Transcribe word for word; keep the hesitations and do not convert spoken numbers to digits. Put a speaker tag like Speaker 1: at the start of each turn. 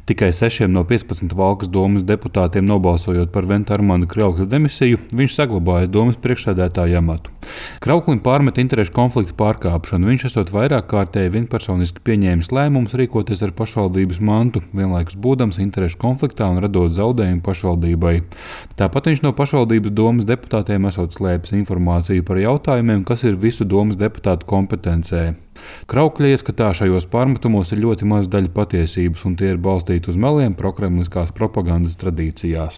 Speaker 1: Tikai sešiem no piecpadsmit Valkas domes deputātiem nobalsojot par Venta Armanda Kraukļa demisiju, viņš saglabājas domes priekšsēdētāja amatu. Krauklim pārmet interešu konflikta pārkāpšanu. Viņš esot vairāk kārtēji vienpersoniski pieņēmis lēmumus rīkoties ar pašvaldības mantu, vienlaikus būdams interešu konfliktā un radot zaudējumu pašvaldībai. Tāpat viņš no pašvaldības domes deputātiem esot slēpis informāciju par jautājumiem, kas ir visu domes deputātu kompetencē. Kraukļa ieskatā šajos pārmetumos ir ļoti maz daļa patiesības, un tie ir balstīti uz meliem prokremliskās propagandas tradīcijās.